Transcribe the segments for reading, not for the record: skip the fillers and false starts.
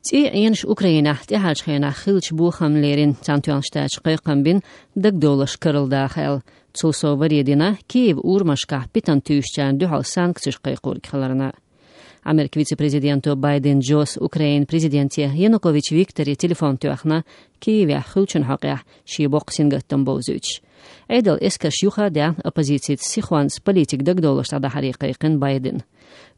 تي ينش أوكرانيا تحاج خينا خلش بوخم ليرين تانتوان شتاج قيقم بين دق دولش كرل داخل تسوسو وريدنا كيف أورمشكا بيتان تيوشتان دوحال سانكسيش قيقور كخلرنا Amerik viceprezidento Biden Jos Ukrain prezidenti Yanukovych Viktori telefon tuaxna Kievia xulchun haqia shiboq singattan bozüch. Eidel eskash yuxa da opozitsit sixwans politik dagdolosh da hariqiqin Biden.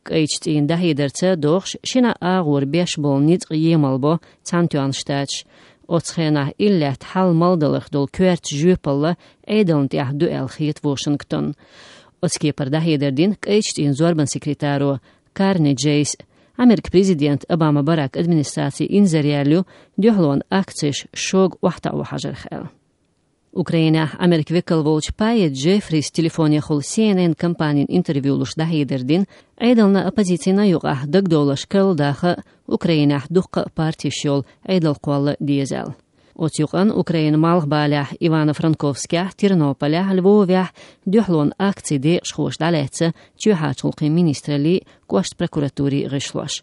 Qeictin da hidertsa dox shina ağur 5 bol nit yemalbo tantuan shtach. Otsxena illet hal maldalıq dol kvert jupalla Eidel tiah duel khit Washington. Otskipar da hiderdin qeictin zorban sekretáru Karni Jace, Amerik prezident Obama Barak administrācija inzerjēļu djohlon akciš šog wahta uhajar khel. Ukraina Amerik vekalvolč Payet Jeffries telefonija khol CNN kampanin intervju lush dahiderdin, eidalna opozicijna yuqa dagdolash kaldaha Ukraina duqqa partishol eidal qwalla diesel. Otyuqan Ukraina malghbalях Ivano-Frankovskya, Ternopoля, Lvovya djohlon akcide shkhosh daletsa tjuhachulqi ministrali qwasht prokuraturi gishlosh.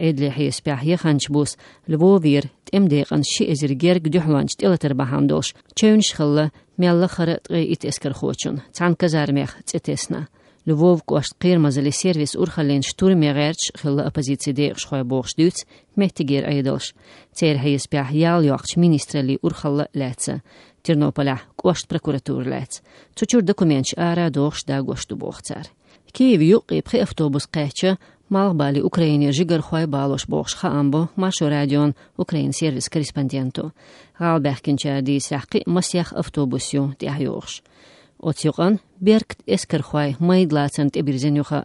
Eidli hispyah yakhanchbus Lvovir temdeqan shi'ezirgerg djohlonch telater bahamdosh chevnish khilla mella kharat it esker khochun tsankazarmekh tsetesna. Lvov qwasht qirmazali servis urkhalin shturmegerch khilla opozitsiyde shkhoy boxduts mehtiger eidalsh. Ter hispyah yal yoqch ministrali urkhalla letsa. Ternopoля qwasht prokuratur lets. Tsuchur dokumentch ara dox da goshtu boxtsar. Kiev yuqi pri avtobus qecha Malbali Ukraina jigar khoy balosh box khaambo masho radion Ukrain servis korrespondento. Galberkinchadi saqi masyakh avtobusyo tiahyox. Otyuqan berkt esker khoy maydlatsant ebirzenyuxa.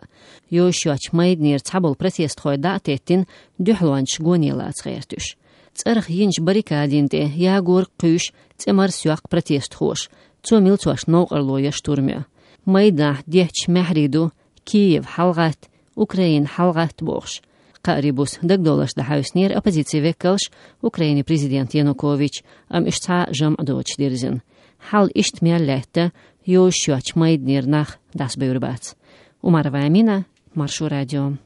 Yoshyoch maydnir tsabol protest khoy datettin duhlwanch gonilats khayrtush. Tsarx yinch barikadinte yagur qish tsemar syaq protest khosh. Tsomil tsosh noqarloya shturmya. Mayda dech mahridu Kiev halgat Ukrain halgat box. Qaribus dagdolash da hausnir opozitsi vekalsh Ukraini prezident Yanukovych am ishtsa jam adoch dirzin. Hal ishtmialletta Yoshyoch maydnir nach das beurbats. Umar Vamina, Marshu Radio.